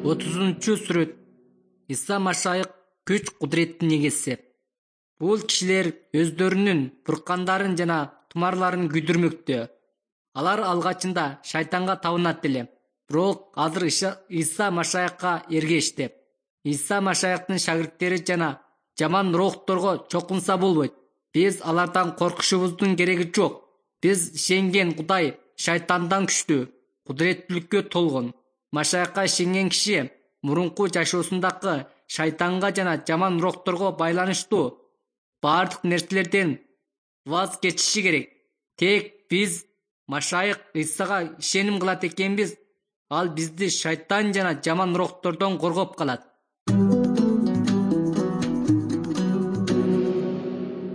30-сүрөт. Иса Машайык күч кудуреттин эгеси. Бул кишилер өздөрүнүн буркандарын жана тумарларын күйдүрмөктө. Алар алгачында шайтанга табынат эле, бирок азыр Иса Машайыкка эргешти. Иса Машайыктын шагирттери жана жаман рухторго чокунса болбойт. Биз алардан коркушубуздун кереги жок. Биз ишенген Кудай шайтандан күчтүү, кудуреттүүлүккө толгон. Машайыкка ишенген киши мурунку жашоосундагы шайтанга жана жаман рухторго байланыштуу баардык нерселерден ваз кечиши керек. Тек биз Машайык Исага ишеним кылат экенбиз, ал бизди шайтан жана жаман рухтордон коргоп калат.